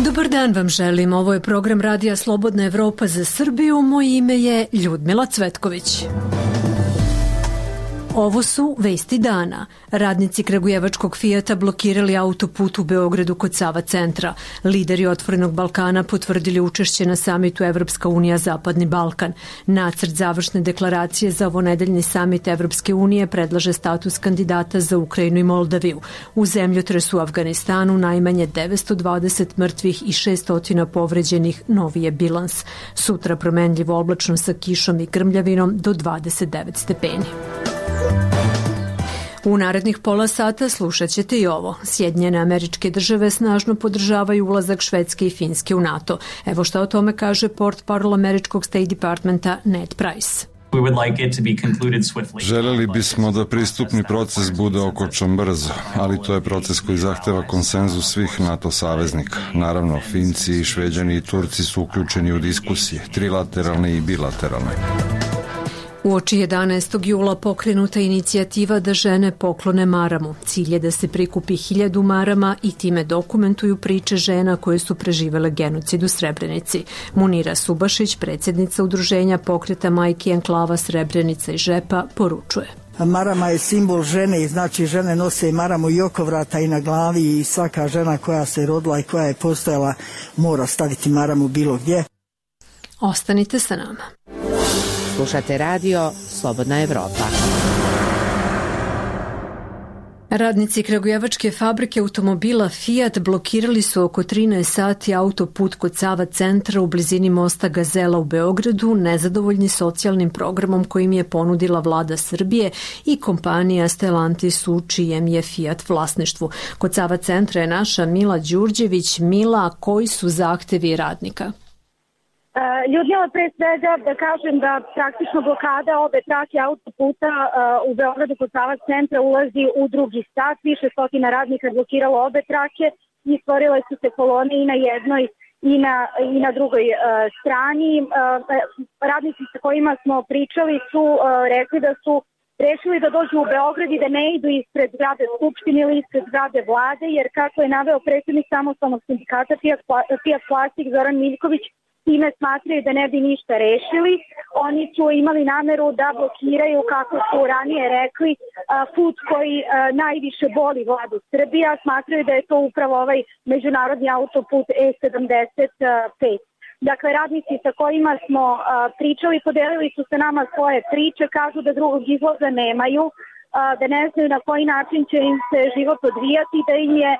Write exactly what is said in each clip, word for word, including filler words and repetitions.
Dobar dan vam želim. Ovo je program Radija Slobodna Evropa za Srbiju. Moje ime je Ljudmila Cvetković. Ovo su vesti dana. Radnici kragujevačkog Fijata blokirali autoput u Beogradu kod Sava centra. Lideri Otvorenog Balkana potvrdili učešće na samitu Evropska unija Zapadni Balkan. Nacrt završne deklaracije za ovonedeljni samit Evropske unije predlaže status kandidata za Ukrajinu i Moldaviju. U zemljotresu u Afganistanu najmanje devetsto dvadeset mrtvih i šessto povređenih, novi je bilans. Sutra promenljivo oblačno sa kišom i grmljavinom do dvadeset devet stepeni. U narednih pola sata slušat ćete i ovo. Sjedinjene Američke Države snažno podržavaju ulazak Švedske i Finske u NATO. Evo šta o tome kaže portparol američkog State Departmenta Ned Price. Želeli bismo da pristupni proces bude okončan brzo, ali to je proces koji zahteva konsenzus svih NATO saveznika. Naravno, Finci, Šveđani i Turci su uključeni u diskusije, trilateralne i bilateralne. Uoči jedanaestog jula pokrenuta inicijativa da žene poklone maramu. Cilj je da se prikupi hiljadu marama i time dokumentuju priče žena koje su preživele genocid u Srebrenici. Munira Subašić, predsjednica udruženja pokreta Majki Enklava Srebrenica i Žepa, poručuje. Marama je simbol žene i znači žene nose maramu i oko vrata i na glavi i svaka žena koja se rodila i koja je postojala mora staviti maramu bilo gdje. Ostanite sa nama. Slušate radio Slobodna Evropa. Radnici kragujevačke fabrike automobila Fiat blokirali su oko trinaest sati autoput kod Sava centra u blizini mosta Gazela u Beogradu, nezadovoljni socijalnim programom kojim je ponudila vlada Srbije i kompanija Stellantis u čijem je Fiat vlasništvu. Kod Sava centra je naša Mila Đurđević. Mila, koji su zahtevi radnika? Ljudmila, pre svega da kažem da praktično blokada obe trake autoputa u Beogradu kod Sava centra ulazi u drugi sat. Više stotina radnika blokiralo obe trake i stvorile su se kolone i na jednoj i na, i na drugoj uh, strani. Uh, radnici sa kojima smo pričali su uh, rekli da su rešili da dođu u Beograd i da ne idu ispred zgrade Skupštine ili ispred zgrade vlade, jer kako je naveo predsjednik samostalnog sindikata Fiat Plastik Zoran Miljković, time smatraju da ne bi ništa rešili. Oni su imali nameru da blokiraju, kako su ranije rekli, put koji najviše boli vladu Srbija. Smatraju da je to upravo ovaj međunarodni autoput E sedamdeset pet. Dakle, radnici sa kojima smo pričali, podelili su se nama svoje priče, kažu da drugog izlaza nemaju, da ne znaju na koji način će im se život odvijati, da im je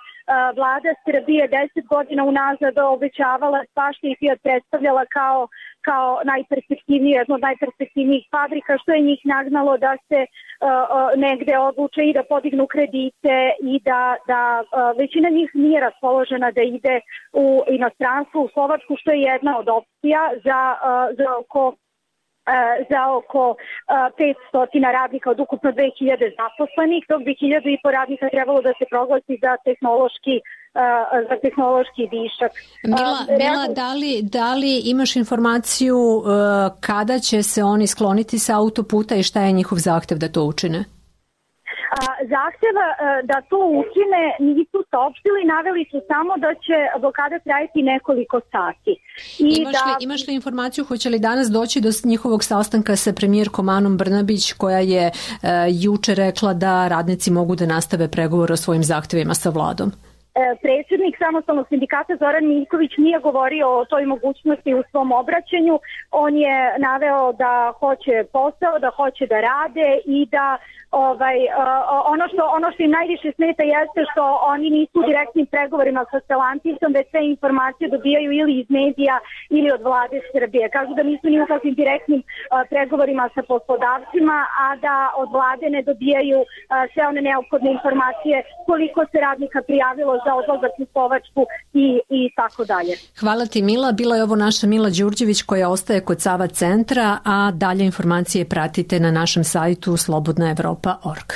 vlada Srbije deset godina unazad obećavala svašta i Fiat predstavljala kao, kao najperspektivniji, jedno od najperspektivnijih fabrika, što je njih nagnalo da se uh, negde odluče i da podignu kredite i da, da uh, većina njih nije raspoložena da ide u inostranstvo, u Slovačku, što je jedna od opcija za, uh, za oko za oko petsto radnika od ukupno dve hiljade zaposlenih, dok bi hiljadu i po radnika trebalo da se proglasi za tehnološki za tehnološki višak. Mila, Mila da, li, da li imaš informaciju uh, kada će se oni skloniti sa autoputa i šta je njihov zahtev da to učine? Zahteva da to ukine nisu saopštili, naveli su samo da će blokada trajati nekoliko sati. I imaš, da... li, imaš li informaciju hoće li danas doći do njihovog sastanka sa premijerkom Anom Brnabić, koja je uh, juče rekla da radnici mogu da nastave pregovor o svojim zahtevima sa vladom? Predsjednik samostalnog sindikata Zoran Miljković nije govorio o toj mogućnosti u svom obraćanju. On je naveo da hoće posao, da hoće da rade i da ovaj, ono, što, ono što im najviše smeta jeste što oni nisu u direktnim pregovorima sa Stellantisom, već sve informacije dobijaju ili iz medija ili od vlade Srbije. Kažu da nisu ni u kakvim direktnim pregovorima sa poslodavcima, a da od vlade ne dobijaju sve one neophodne informacije koliko se radnika prijavilo za odlazak u Slovačku i, i tako dalje. Hvala ti, Mila. Bila je ovo naša Mila Đurđević koja ostaje kod Sava centra, a dalje informacije pratite na našem sajtu slobodna evropa tačka org.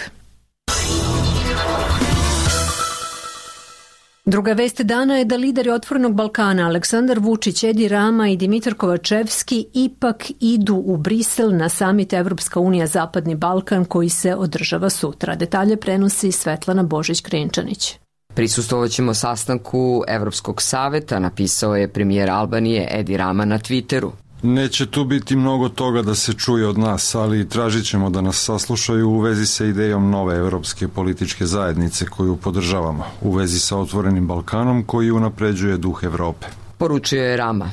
Druga vest dana je da lideri Otvorenog Balkana Aleksandar Vučić, Edi Rama i Dimitar Kovačevski ipak idu u Brisel na samit Evropska unija Zapadni Balkan koji se održava sutra. Detalje prenosi Svetlana Božić-Krenčanić. Prisustvovaćemo sastanku Evropskog saveta, napisao je premijer Albanije Edi Rama na Twitteru. Neće tu biti mnogo toga da se čuje od nas, ali tražit ćemo da nas saslušaju u vezi sa idejom nove evropske političke zajednice koju podržavamo, u vezi sa Otvorenim Balkanom koji unapređuje duh Evrope. Poručio je Rama.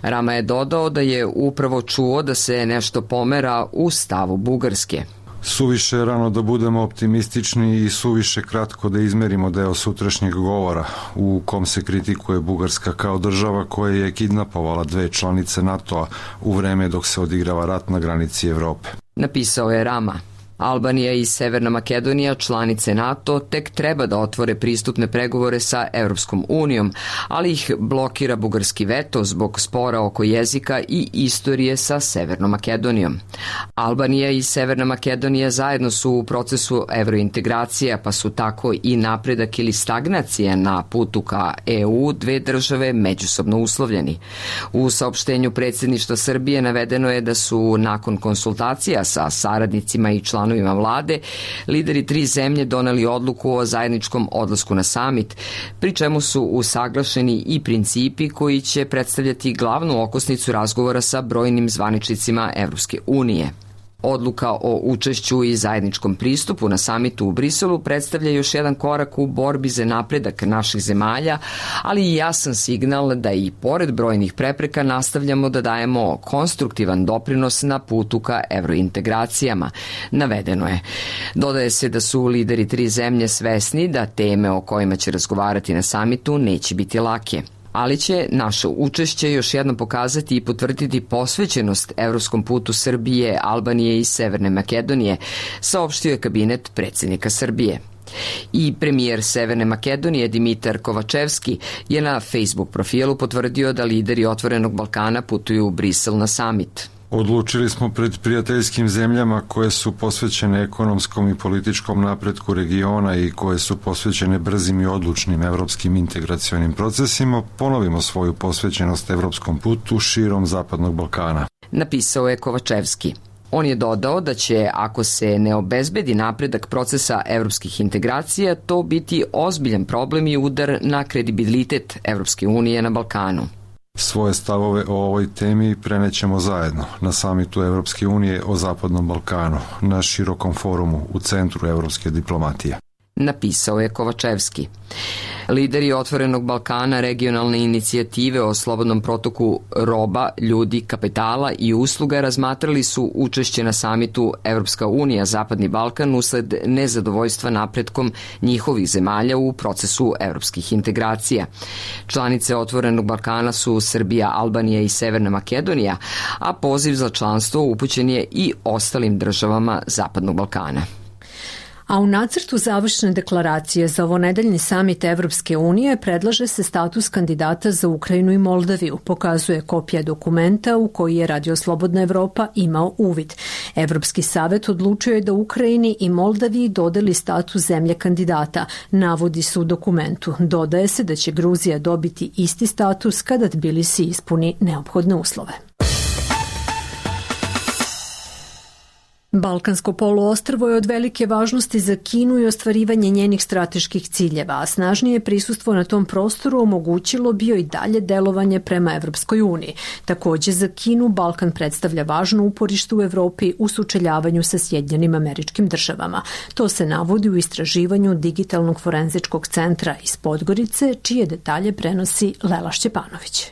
Rama je dodao da je upravo čuo da se nešto pomera u stavu Bugarske. Suviše je rano da budemo optimistični i suviše kratko da izmerimo deo sutrašnjeg govora u kom se kritikuje Bugarska kao država koja je kidnapovala dve članice NATO-a u vreme dok se odigrava rat na granici Evrope. Napisao je Rama. Albanija i Severna Makedonija, članice NATO, tek treba da otvore pristupne pregovore sa Evropskom unijom, ali ih blokira bugarski veto zbog spora oko jezika i istorije sa Severnom Makedonijom. Albanija i Severna Makedonija zajedno su u procesu evrointegracija, pa su tako i napredak ili stagnacija na putu ka E U dve države međusobno uslovljeni. U saopštenju predsjedništva Srbije navedeno je da su nakon konsultacija sa saradnicima i članovima vlade, lideri tri zemlje doneli odluku o zajedničkom odlasku na samit, pri čemu su usaglašeni i principi koji će predstavljati glavnu okosnicu razgovora sa brojnim zvaničnicima Evropske unije. Odluka o učešću i zajedničkom pristupu na samitu u Briselu predstavlja još jedan korak u borbi za napredak naših zemalja, ali i jasan signal da i pored brojnih prepreka nastavljamo da dajemo konstruktivan doprinos na putu ka evrointegracijama, navedeno je. Dodaje se da su lideri tri zemlje svesni da teme o kojima će razgovarati na samitu neće biti lake, ali će naše učešće još jednom pokazati i potvrditi posvećenost evropskom putu Srbije, Albanije i Severne Makedonije, saopštio je kabinet predsjednika Srbije. I premijer Severne Makedonije Dimitar Kovačevski je na Facebook profilu potvrdio da lideri Otvorenog Balkana putuju u Brisel na samit. Odlučili smo pred prijateljskim zemljama koje su posvećene ekonomskom i političkom napretku regiona i koje su posvećene brzim i odlučnim evropskim integracionim procesima, ponovimo svoju posvećenost evropskom putu širom Zapadnog Balkana. Napisao je Kovačevski. On je dodao da će, ako se ne obezbedi napredak procesa evropskih integracija, to biti ozbiljan problem i udar na kredibilitet Evropske unije na Balkanu. Svoje stavove o ovoj temi prenećemo zajedno na samitu Evropske unije o Zapadnom Balkanu, na širokom forumu u Centru evropske diplomatije. Napisao je Kovačevski. Lideri Otvorenog Balkana regionalne inicijative o slobodnom protoku roba, ljudi, kapitala i usluga razmatrali su učešće na samitu Evropska unija Zapadni Balkan usled nezadovoljstva napretkom njihovih zemalja u procesu evropskih integracija. Članice Otvorenog Balkana su Srbija, Albanija i Severna Makedonija, a poziv za članstvo upućen je i ostalim državama Zapadnog Balkana. A u nacrtu završne deklaracije za ovonedeljni samit Evropske unije predlaže se status kandidata za Ukrajinu i Moldaviju, pokazuje kopija dokumenta u koji je Radio Slobodna Evropa imao uvid. Evropski savet odlučio je da Ukrajini i Moldaviji dodeli status zemlje kandidata, navodi se u dokumentu. Dodaje se da će Gruzija dobiti isti status kada Tbilisi ispuni neophodne uslove. Balkansko poluostrvo je od velike važnosti za Kinu i ostvarivanje njenih strateških ciljeva, a snažnije prisustvo na tom prostoru omogućilo bi joj i dalje delovanje prema Evropskoj uniji. Takođe, za Kinu Balkan predstavlja važno uporište u Evropi u sučeljavanju sa Sjedinjenim Američkim Državama. To se navodi u istraživanju Digitalnog forenzičkog centra iz Podgorice, čije detalje prenosi Lela Šćepanović.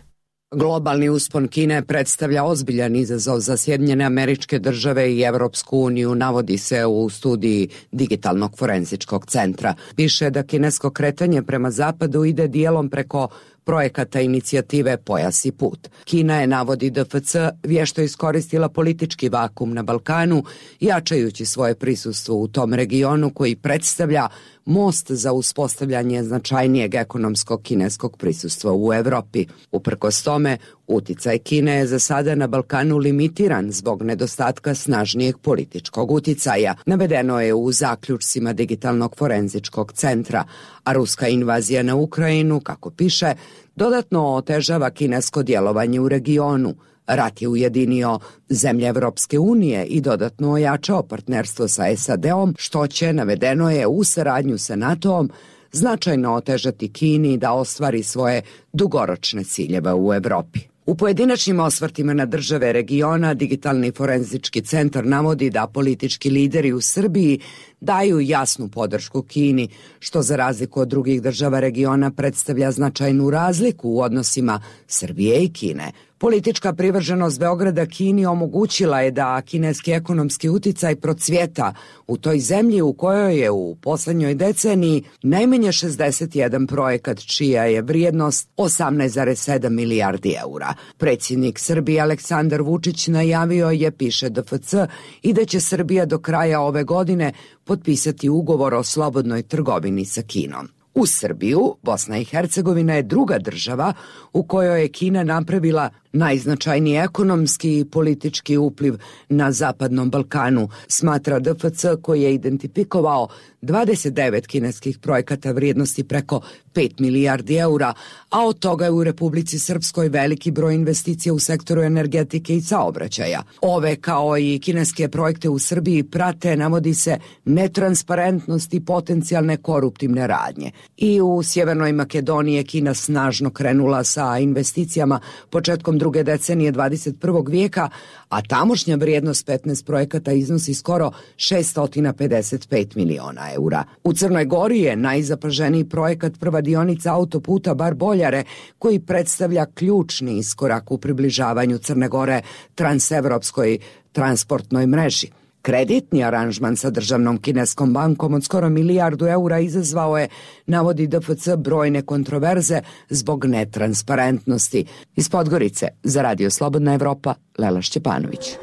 Globalni uspon Kine predstavlja ozbiljan izazov za Sjedinjene Američke Države i Evropsku uniju, navodi se u studiji Digitalnog forenzičkog centra. Piše da kinesko kretanje prema zapadu ide dijelom preko projekata inicijative Pojas i put. Kina je, navodi D F C, vješto iskoristila politički vakum na Balkanu, jačajući svoje prisustvo u tom regionu koji predstavlja most za uspostavljanje značajnijeg ekonomskog kineskog prisustva u Evropi. Uprkos tome, Uticaj Kine je za sada na Balkanu limitiran zbog nedostatka snažnijeg političkog uticaja, navedeno je u zaključcima Digitalnog forenzičkog centra, a ruska invazija na Ukrajinu, kako piše, dodatno otežava kinesko djelovanje u regionu. Rat je ujedinio zemlje Evropske unije i dodatno ojačao partnerstvo sa S A D-om, što će, navedeno je, u saradnju sa NATO-om značajno otežati Kini da ostvari svoje dugoročne ciljeve u Evropi. U pojedinačnim osvrtima na države regiona, Digitalni forenzički centar navodi da politički lideri u Srbiji daju jasnu podršku Kini, što za razliku od drugih država regiona predstavlja značajnu razliku u odnosima Srbije i Kine. Politička privrženost Beograda Kini omogućila je da kineski ekonomski uticaj procvjeta u toj zemlji u kojoj je u poslednjoj deceniji najmanje šezdeset jedan projekat čija je vrijednost osamnaest zarez sedam milijardi eura. Predsjednik Srbije Aleksandar Vučić najavio je, piše D F C, i da će Srbija do kraja ove godine potpisati ugovor o slobodnoj trgovini sa Kinom. Uz Srbiju, Bosna i Hercegovina je druga država u kojoj je Kina napravila najznačajniji ekonomski i politički upliv na Zapadnom Balkanu, smatra D F C, koji je identifikovao dvadeset devet kineskih projekata vrijednosti preko pet milijardi eura, a od toga je u Republici Srpskoj veliki broj investicija u sektoru energetike i saobraćaja. Ove, kao i kineske projekte u Srbiji, prate, navodi se, netransparentnost i potencijalne koruptivne radnje. I u Sjevernoj Makedoniji je Kina snažno krenula sa investicijama početkom druge decenije dvadeset prvog vijeka, a tamošnja vrijednost petnaest projekata iznosi skoro šesto pedeset pet miliona eura. U Crnoj Gori je najzapaženiji projekat prva dionica autoputa Bar-Boljare, koji predstavlja ključni iskorak u približavanju Crne Gore transevropskoj transportnoj mreži. Kreditni aranžman sa državnom kineskom bankom od skoro milijardu eura izazvao je, navodi D F C, brojne kontroverze zbog netransparentnosti. Iz Podgorice, za Radio Slobodna Evropa, Lela Šćepanović.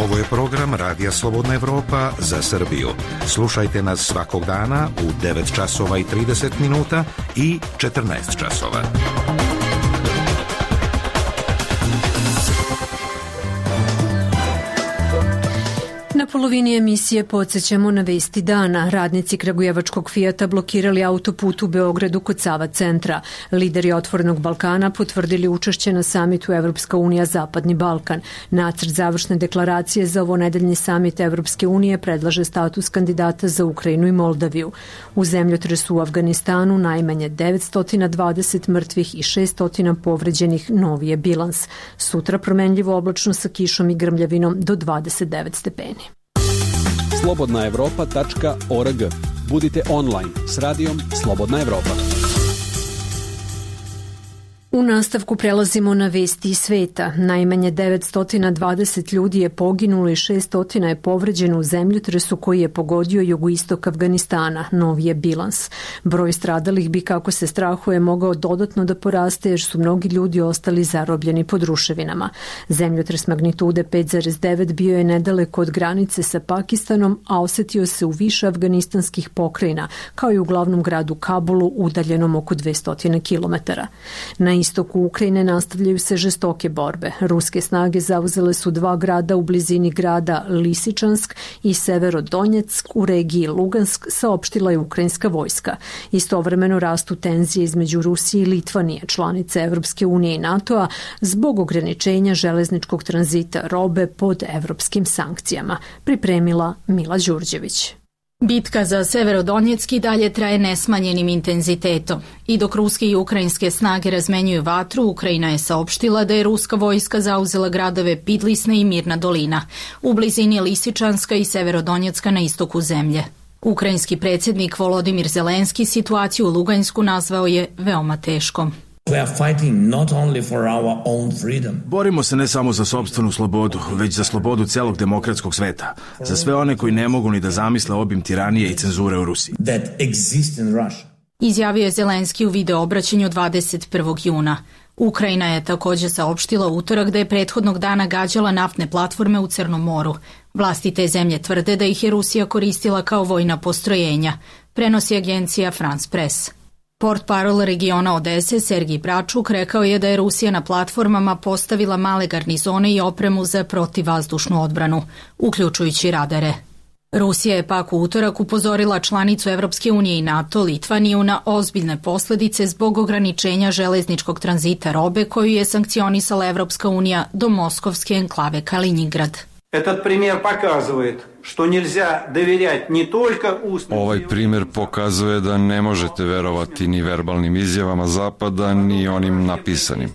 Ovo je program Radija Slobodna Evropa za Srbiju. Slušajte nas svakog dana u devet časova i trideset minuta i četrnaest časova. Na polovini emisije podsjećamo na vesti dana. Radnici kragujevačkog Fijata blokirali autoput u Beogradu kod Sava centra. Lideri Otvorenog Balkana potvrdili učešće na samitu Evropska unija Zapadni Balkan. Nacrt završne deklaracije za ovonedeljni samit Evropske unije predlaže status kandidata za Ukrajinu i Moldaviju. U zemljotresu u Afganistanu najmanje devetsto dvadeset mrtvih i šesto povređenih, novi je bilans. Sutra promenljivo oblačno sa kišom i grmljavinom do dvadeset devet stepeni. slobodna evropa tačka org. Budite online s radijom Slobodna Evropa. U nastavku prelazimo na vesti iz sveta. Najmanje devetsto dvadeset ljudi je poginulo i šesto je povređeno u zemljotresu koji je pogodio jugoistok Afganistana, novi je bilans. Broj stradalih bi, kako se strahuje, mogao dodatno da poraste jer su mnogi ljudi ostali zarobljeni pod ruševinama. Zemljotres magnitude pet zarez devet bio je nedaleko od granice sa Pakistanom, a osetio se u više afganistanskih pokrajina, kao i u glavnom gradu Kabulu, udaljenom oko dvesta kilometara. Na istoku Ukrajine nastavljaju se žestoke borbe. Ruske snage zauzele su dva grada u blizini grada Lisičansk i Severodonjeck u regiji Lugansk, saopštila je ukrajinska vojska. Istovremeno rastu tenzije između Rusije i Litvanije, članice Evropske unije i NATO-a, zbog ograničenja železničkog tranzita robe pod evropskim sankcijama. Pripremila Mila Đurđević. Bitka za Severodonjecki dalje traje nesmanjenim intenzitetom. I dok ruske i ukrajinske snage razmenjuju vatru, Ukrajina je saopštila da je ruska vojska zauzela gradove Pidlisna i Mirna dolina, u blizini Lisičanska i Severodonjecka na istoku zemlje. Ukrajinski predsjednik Volodimir Zelenski situaciju u Lugansku nazvao je veoma teškom. Borimo se ne samo za sopstvenu slobodu, već za slobodu celog demokratskog sveta, za sve one koji ne mogu ni da zamisle obim tiranije i cenzure u Rusiji. Izjavio je Zelenski u video obraćanju dvadeset prvog juna. Ukrajina je također saopštila utorak da je prethodnog dana gađala naftne platforme u Crnom moru. Vlasti te zemlje tvrde da ih je Rusija koristila kao vojna postrojenja, prenosi agencija France Press. Portparol regiona Odese Sergij Bračuk rekao je da je Rusija na platformama postavila male garnizone i opremu za protivvazdušnu odbranu, uključujući radare. Rusija je pak u utorak upozorila članicu Evropske unije i NATO, Litvaniju, na ozbiljne posledice zbog ograničenja železničkog tranzita robe koju je sankcionisala Evropska unija do moskovske enklave Kaliningrad. Этот пример показывает, что нельзя доверять не только устным... Ovaj primjer pokazuje da ne možete verovati ni verbalnim izjavama Zapada, ni onim napisanim.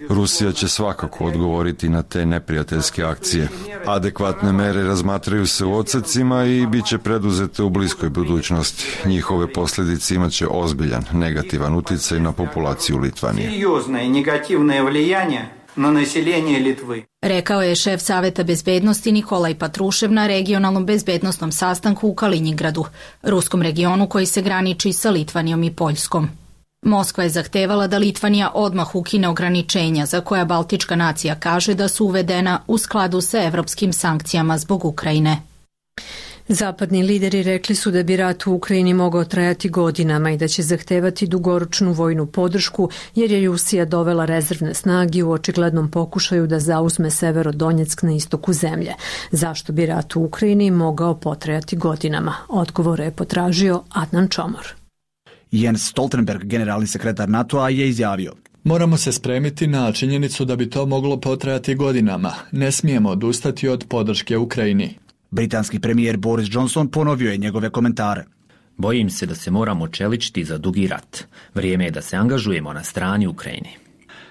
Rusija će svakako odgovoriti na te neprijateljske akcije. Adekvatne mere razmatraju se u odsecima i bit će preduzete u bliskoj budućnosti. Njihove posljedice imaće ozbiljan negativan uticaj na populaciju Litvanije. Серьезное негативное влияние na naseljenje Litve. Rekao je šef Saveta bezbednosti Nikolaj Patrušev na regionalnom bezbednostnom sastanku u Kaliningradu, ruskom regionu koji se graniči sa Litvanijom i Poljskom. Moskva je zahtevala da Litvanija odmah ukine ograničenja za koja Baltička nacija kaže da su uvedena u skladu sa evropskim sankcijama zbog Ukrajine. Zapadni lideri rekli su da bi rat u Ukrajini mogao trajati godinama i da će zahtevati dugoročnu vojnu podršku jer je Rusija dovela rezervne snage u očiglednom pokušaju da zauzme Severodonjeck na istoku zemlje. Zašto bi rat u Ukrajini mogao potrajati godinama? Odgovore je potražio Adnan Čomor. Jens Stoltenberg, generalni sekretar NATO-a, je izjavio: Moramo se spremiti na činjenicu da bi to moglo potrajati godinama. Ne smijemo odustati od podrške Ukrajini. Britanski premijer Boris Johnson ponovio je njegove komentare. Bojim se da se moramo čeličiti za dugi rat. Vrijeme je da se angažujemo na strani Ukrajine.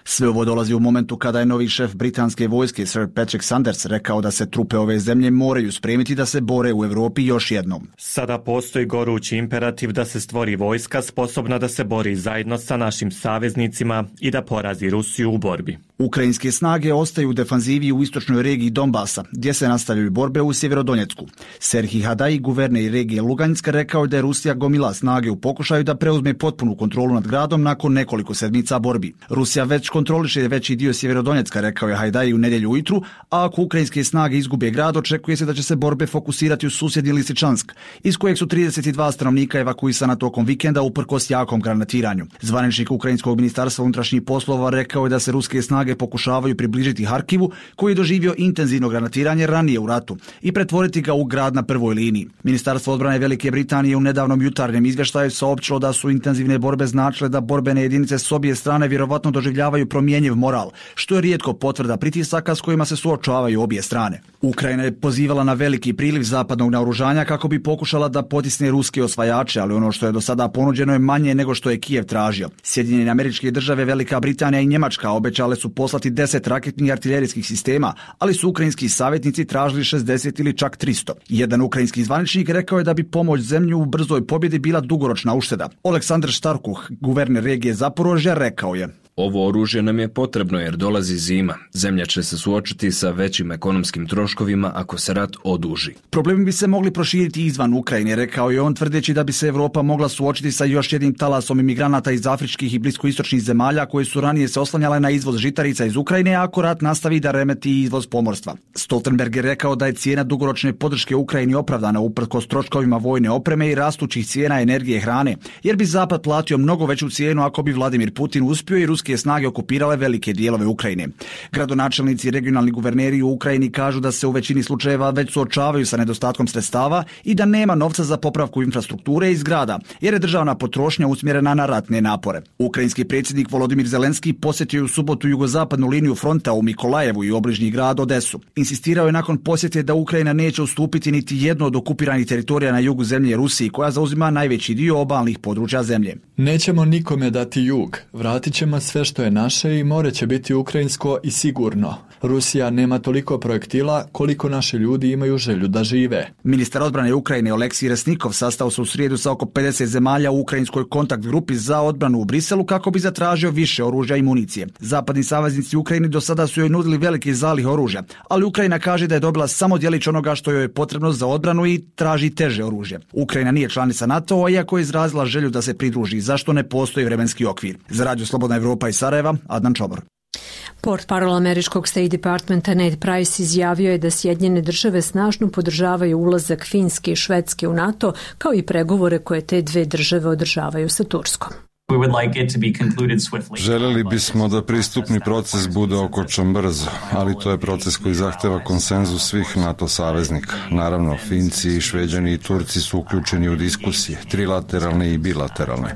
Sve ovo dolazi u momentu kada je novi šef britanske vojske Sir Patrick Sanders rekao da se trupe ove zemlje moraju spremiti da se bore u Europi još jednom. Sada postoji gorući imperativ da se stvori vojska sposobna da se bori zajedno sa našim saveznicima i da porazi Rusiju u borbi. Ukrajinske snage ostaju u defanzivi u istočnoj regiji Donbasa, gdje se nastavljaju borbe u Sjeverodonjecku. Serhij Hadaj, guverner regije Luganjska, rekao da je Rusija gomila snage u pokušaju da preuzme potpunu kontrolu nad gradom nakon nekoliko sedmica borbi. Rusija već kontroliše veći dio Sjeverodonjecka, rekao je Hajdaj u nedjelju ujutru, a ako ukrajinske snage izgube grad, očekuje se da će se borbe fokusirati u susjedni Lisičansk, iz kojeg su trideset dva stanovnika evakuisana tokom vikenda uprkos jakom granatiranju. Zvaničnik ukrajinskog ministarstva unutrašnjih poslova rekao je da se ruske snage pokušavaju približiti Harkivu, koji je doživio intenzivno granatiranje ranije u ratu, i pretvoriti ga u grad na prvoj liniji. Ministarstvo odbrane Velike Britanije u nedavnom jutarnjem izvještaju saopćilo da su intenzivne borbe značile da borbene jedinice s obje strane vjerovatno doživljavaju promjenjiv moral, što je rijetko potvrda pritisaka s kojima se suočavaju obje strane. Ukrajina je pozivala na veliki priliv zapadnog naoružanja kako bi pokušala da potisne ruske osvajače, ali ono što je do sada ponuđeno je manje nego što je Kijev tražio. Sjedinjene Američke Države, Velika Britanija i Njemačka obećale su poslati deset raketnih artiljerijskih sistema, ali su ukrajinski savjetnici tražili šezdeset ili čak tristo. Jedan ukrajinski zvaničnik rekao je da bi pomoć zemlji u brzoj pobjedi bila dugoročna ušteda. Oleksandr Štarkuh, guverner regije Zaporožja, rekao je: Ovo oružje nam je potrebno jer dolazi zima. Zemlja će se suočiti sa većim ekonomskim troškovima ako se rat oduži. Problemi bi se mogli proširiti izvan Ukrajine, rekao je on, tvrdeći da bi se Evropa mogla suočiti sa još jednim talasom imigranata iz afričkih i bliskoistočnih zemalja koje su ranije se oslanjale na izvoz žitarica iz Ukrajine, ako rat nastavi da remeti izvoz pomorstva. Stoltenberg je rekao da je cijena dugoročne podrške Ukrajini opravdana uprkos troškovima vojne opreme i rastućih cijena energije i hrane, jer bi Zapad platio mnogo veću cijenu ako bi Vladimir Putin uspio i ruski snage okupirale velike dijelove Ukrajine. Gradonačelnici i regionalni guverneri u Ukrajini kažu da se u većini slučajeva već suočavaju sa nedostatkom sredstava i da nema novca za popravku infrastrukture i zgrada, jer je državna potrošnja usmjerena na ratne napore. Ukrajinski predsjednik Volodimir Zelenski posjetio je u subotu jugozapadnu liniju fronta u Mikolajevu i obližnji grad Odesu. Insistirao je nakon posjete da Ukrajina neće ustupiti niti jedno od okupiranih teritorija na jugu zemlje Rusiji, koja zauzima najveći dio obalnih područja zemlje. Nećemo nikome dati jug. Vratit ćemo sve što je naše i more će biti ukrajinsko i sigurno. Rusija nema toliko projektila koliko naši ljudi imaju želju da žive. Ministar odbrane Ukrajine Oleksij Resnikov sastao se u srijedu sa oko pedeset zemalja u ukrajinskoj kontakt grupi za odbranu u Briselu kako bi zatražio više oružja i municije. Zapadni saveznici Ukrajini do sada su joj nudili veliki zalih oružja, ali Ukrajina kaže da je dobila samo djelić onoga što joj je potrebno za odbranu i traži teže oružje. Ukrajina nije članica NATO-a, iako je izrazila želju da se pridruži, zašto ne postoji vremenski okvir. Za Radio Slobodna Evropa iz Sarajeva, Adnan Čomor. Portparol američkog State Departmenta Ned Price izjavio je da Sjedinjene države snažno podržavaju ulazak Finske i Švedske u NATO, kao i pregovore koje te dve države održavaju sa Turskom. Želeli bismo da pristupni proces bude okončan brzo, ali to je proces koji zahteva konsenzus svih NATO saveznika. Naravno, Finci, i Šveđani i Turci su uključeni u diskusije, trilateralne i bilateralne.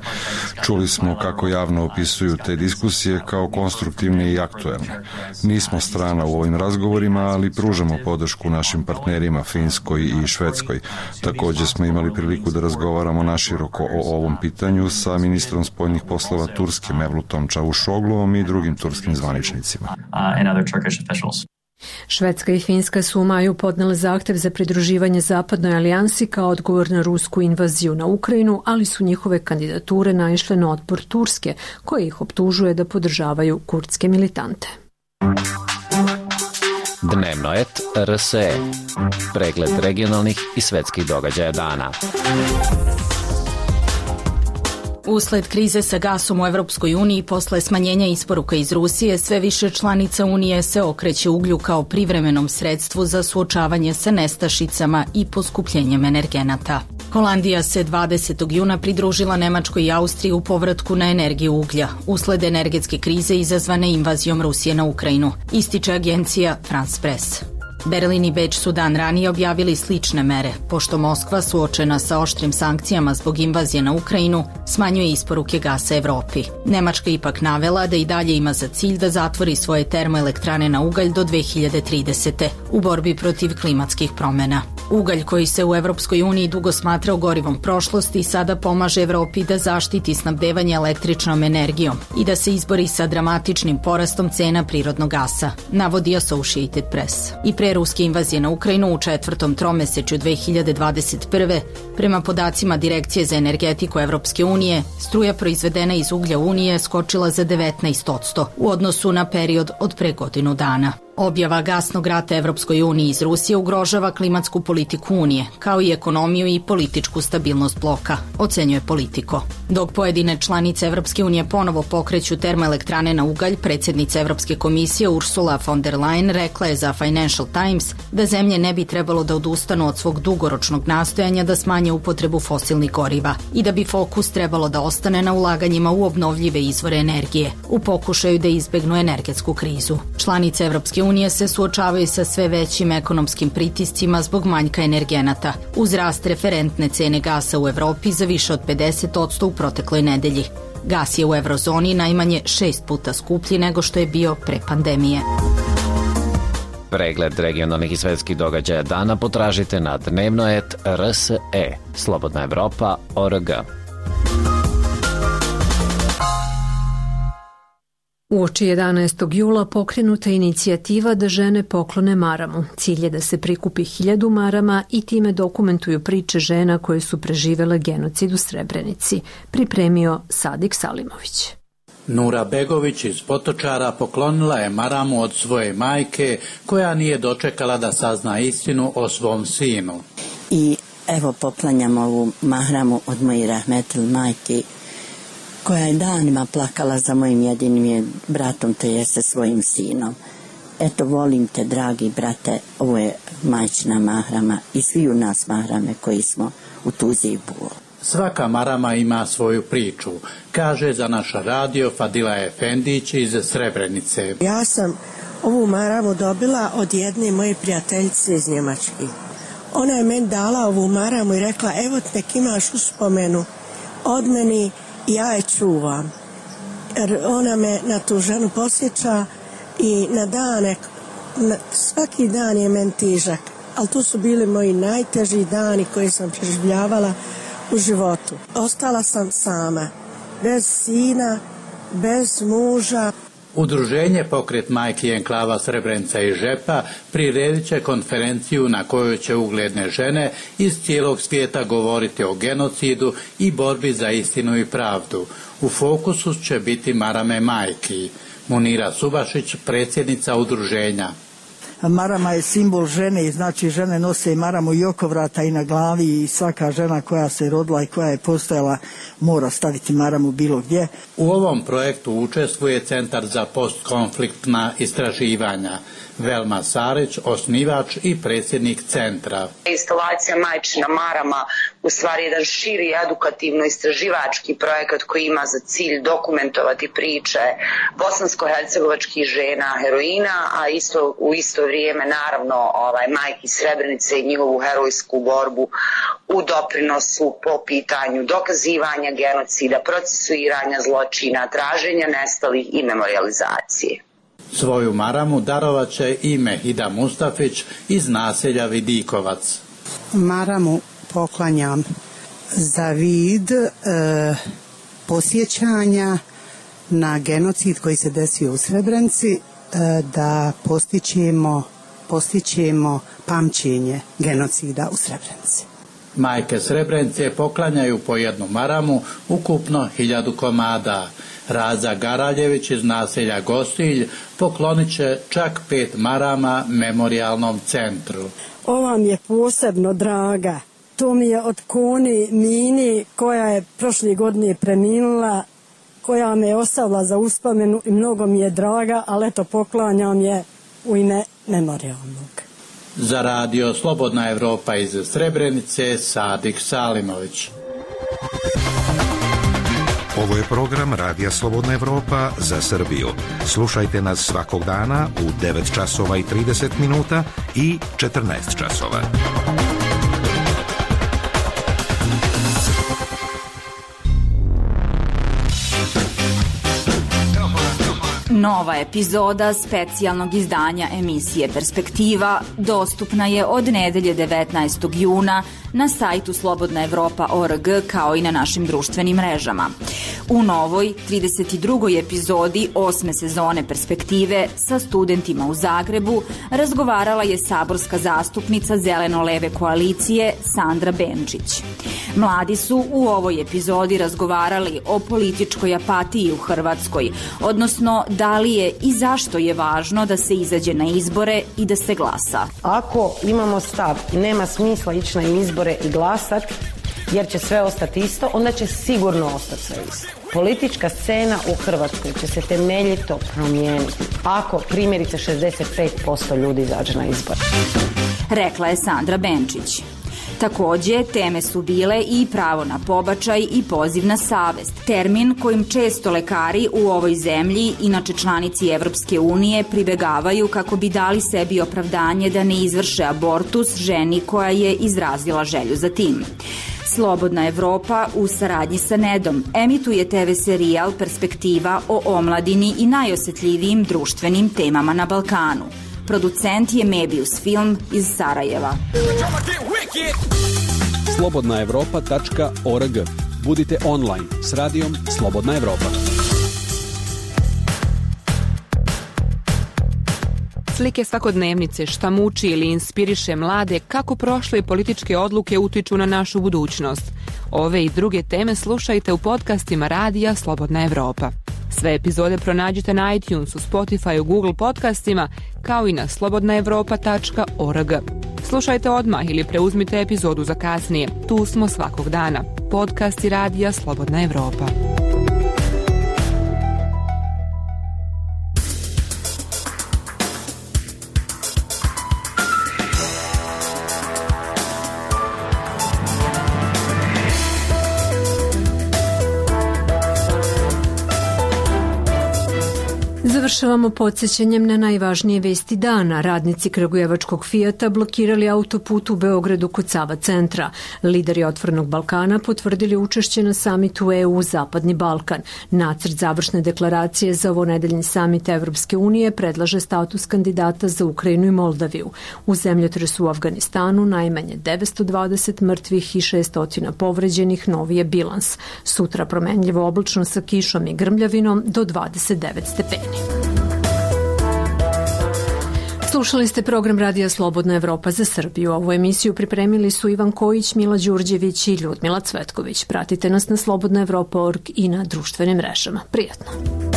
Čuli smo kako javno opisuju te diskusije kao konstruktivne i aktuelne. Nismo strana u ovim razgovorima, ali pružamo podršku našim partnerima Finskoj i Švedskoj. Također smo imali priliku da razgovaramo naširoko o ovom pitanju sa ministrom spoljnih poslova Turske Mevlutom Čavuşogluom i drugim turskim zvaničnicima. Švedska i Finska su u maju podnele zahtev za pridruživanje Zapadnoj alijansi kao odgovor na rusku invaziju na Ukrajinu, ali su njihove kandidature naišle na otpor Turske, koja ih optužuje da podržavaju kurdske militante. Dnevno et R S E. Pregled regionalnih i svetskih događaja dana. Usled krize sa gasom u Evropskoj uniji posle smanjenja isporuka iz Rusije, sve više članica Unije se okreće uglju kao privremenom sredstvu za suočavanje sa nestašicama i poskupljenjem energenata. Holandija se dvadesetog juna pridružila Nemačkoj i Austriji u povratku na energiju uglja, usled energetske krize izazvane invazijom Rusije na Ukrajinu, ističe agencija France Press. Berlin i Beč su dan ranije objavili slične mere, pošto Moskva, suočena sa oštrim sankcijama zbog invazije na Ukrajinu, smanjuje isporuke gasa Evropi. Nemačka ipak navela da i dalje ima za cilj da zatvori svoje termoelektrane na ugalj do dve hiljade tridesete. u borbi protiv klimatskih promena. Ugalj koji se u Evropskoj uniji dugo smatrao gorivom prošlosti sada pomaže Evropi da zaštiti snabdevanje električnom energijom i da se izbori sa dramatičnim porastom cena prirodnog gasa, navodi Associated Press. I pre ruske invazije na Ukrajinu u četvrtom tromesečju dve hiljade dvadeset prve. prema podacima Direkcije za energetiku Evropske unije, struja proizvedena iz uglja Unije skočila za devetnaest posto u odnosu na period od pre godinu dana. Objava gasnog rata Evropskoj uniji iz Rusije ugrožava klimatsku politiku Unije, kao i ekonomiju i političku stabilnost bloka, ocenjuje Politico. Dok pojedine članice Evropske unije ponovo pokreću termoelektrane na ugalj, predsjednica Evropske komisije Ursula von der Leyen rekla je za Financial Times da zemlje ne bi trebalo da odustanu od svog dugoročnog nastojanja da smanje upotrebu fosilnih goriva i da bi fokus trebalo da ostane na ulaganjima u obnovljive izvore energije, u pokušaju da izbegnu energetsku krizu. Članice Evropske unije se suočavaju sa sve većim ekonomskim pritiscima zbog manjka energenata, uz rast referentne cene gasa u Evropi za više od pedeset posto u protekloj nedelji. Gas je u eurozoni najmanje šest puta skuplji nego što je bio pre pandemije. Pregled regionalnih i svetskih događaja dana potražite na dnevno et R S E, Slobodna Evropa, O R G. Uoči jedanaestog jula pokrenuta je inicijativa da žene poklone maramu. Cilj je da se prikupi hiljadu marama i time dokumentuju priče žena koje su preživele genocid u Srebrenici, pripremio Sadik Salimović. Nura Begović iz Potočara poklonila je maramu od svoje majke, koja nije dočekala da sazna istinu o svom sinu. I evo poklanjam ovu maramu od moje rahmetil majke, koja je danima plakala za mojim jedinim bratom, to jeste svojim sinom. Eto, volim te, dragi brate, ovo je majčina mahrama i svi u nas mahrame koji smo u tuzi i bolu. Svaka marama ima svoju priču, kaže za naš radio Fadila Efendić iz Srebrenice. Ja sam ovu maramu dobila od jedne moje prijateljice iz Njemačke. Ona je meni dala ovu maramu i rekla, evo nek imaš uspomenu od meni, ja je čuvam, jer ona me na tu ženu posjeća i na dane, na, svaki dan je meni težak, ali to su bili moji najteži dani koje sam preživljavala u životu. Ostala sam sama, bez sina, bez muža. Udruženje Pokret majki enklava Srebrenica i Žepa priredit će konferenciju na kojoj će ugledne žene iz cijelog svijeta govoriti o genocidu i borbi za istinu i pravdu. U fokusu će biti marame majki. Munira Subašić, predsjednica udruženja. Marama je simbol žene i znači žene nose maramu i oko vrata i na glavi i svaka žena koja se rodila i koja je postojala mora staviti maramu bilo gdje. U ovom projektu učestvuje Centar za postkonfliktna istraživanja. Velma Sarić, osnivač i predsjednik centra. Instalacija Majčina marama u stvari jedan širi edukativno-istraživački projekat koji ima za cilj dokumentovati priče bosansko-hercegovačkih žena heroina, a isto u isto vrijeme naravno ovaj majki Srebrenice i njihovu herojsku borbu u doprinosu po pitanju dokazivanja genocida, procesuiranja zločina, traženja nestalih i memorializacije. Svoju maramu darovat će i Mehida Mustafić iz naselja Vidikovac. Maramu poklanjam za vid e, posjećanja na genocid koji se desio u Srebrenici, e, da postićemo, postićemo pamćenje genocida u Srebrenici. Majke Srebrenice poklanjaju po jednu maramu, ukupno hiljadu komada. Raza Garaljević iz naselja Gostilj poklonit će čak pet marama memorijalnom centru. Ova mi je posebno draga. To mi je od Koni Mini koja je prošle godine preminula, koja me je ostavila za uspomenu i mnogo mi je draga, ali eto poklanjam je u ime memorijalnog. Za radio Slobodna Evropa iz Srebrenice, Sadik Salimović. Ovo je program Radija Slobodna Evropa za Srbiju. Slušajte nas svakog dana u devet časova i trideset minuta i četrnaest časova. Nova epizoda specijalnog izdanja emisije Perspektiva dostupna je od nedelje devetnaestog juna na sajtu slobodna evropa tačka org kao i na našim društvenim mrežama. U novoj trideset drugoj epizodi osme sezone Perspektive sa studentima u Zagrebu razgovarala je saborska zastupnica Zeleno-leve koalicije Sandra Benčić. Mladi su u ovoj epizodi razgovarali o političkoj apatiji u Hrvatskoj, odnosno da li je i zašto je važno da se izađe na izbore i da se glasa. Ako imamo stav i nema smisla ići na izbore i glasat, jer će sve ostati isto, onda će sigurno ostati sve isto. Politička scena u Hrvatskoj će se temeljito promijeniti ako primjerice šezdeset pet posto ljudi izađe na izbore. Rekla je Sandra Benčić. Takođe, teme su bile i pravo na pobačaj i poziv na savest, termin kojim često lekari u ovoj zemlji, inače članici Evropske unije, pribegavaju kako bi dali sebi opravdanje da ne izvrše abortus ženi koja je izrazila želju za tim. Slobodna Evropa u saradnji sa Nedom emituje te ve serijal Perspektiva o omladini i najosjetljivijim društvenim temama na Balkanu. Producent je Mebius Film iz Sarajeva. slobodna evropa tačka org. Budite online s radijom Slobodna Evropa. Slike svakodnevnice, šta muči ili inspiriše mlade, kako prošle političke odluke utiču na našu budućnost. Ove i druge teme slušajte u podcastima Radija Slobodna Evropa. Sve epizode pronađite na iTunesu, Spotifyu, Google podcastima, kao i na slobodna evropa tačka org. Slušajte odmah ili preuzmite epizodu za kasnije. Tu smo svakog dana. Podcasti Radija Slobodna Evropa. Završavamo podsjećanjem na najvažnije vesti dana. Radnici kragujevačkog Fijata blokirali autoput u Beogradu kod Sava centra. Lideri Otvorenog Balkana potvrdili učešće na samitu E U Zapadni Balkan. Nacrt završne deklaracije za ovonedeljni samit Evropske unije predlaže status kandidata za Ukrajinu i Moldaviju. U zemljotresu u Afganistanu najmanje devetsto dvadeset mrtvih i šesto povređenih, novi je bilans. Sutra promenljivo oblačno sa kišom i grmljavinom do dvadeset devet stepeni. Slušali ste program Radija Slobodna Evropa za Srbiju. Ovu emisiju pripremili su Ivan Kojić, Mila Đurđević i Ljudmila Cvetković. Pratite nas na slobodna evropa tačka org i na društvenim mrežama. Prijatno!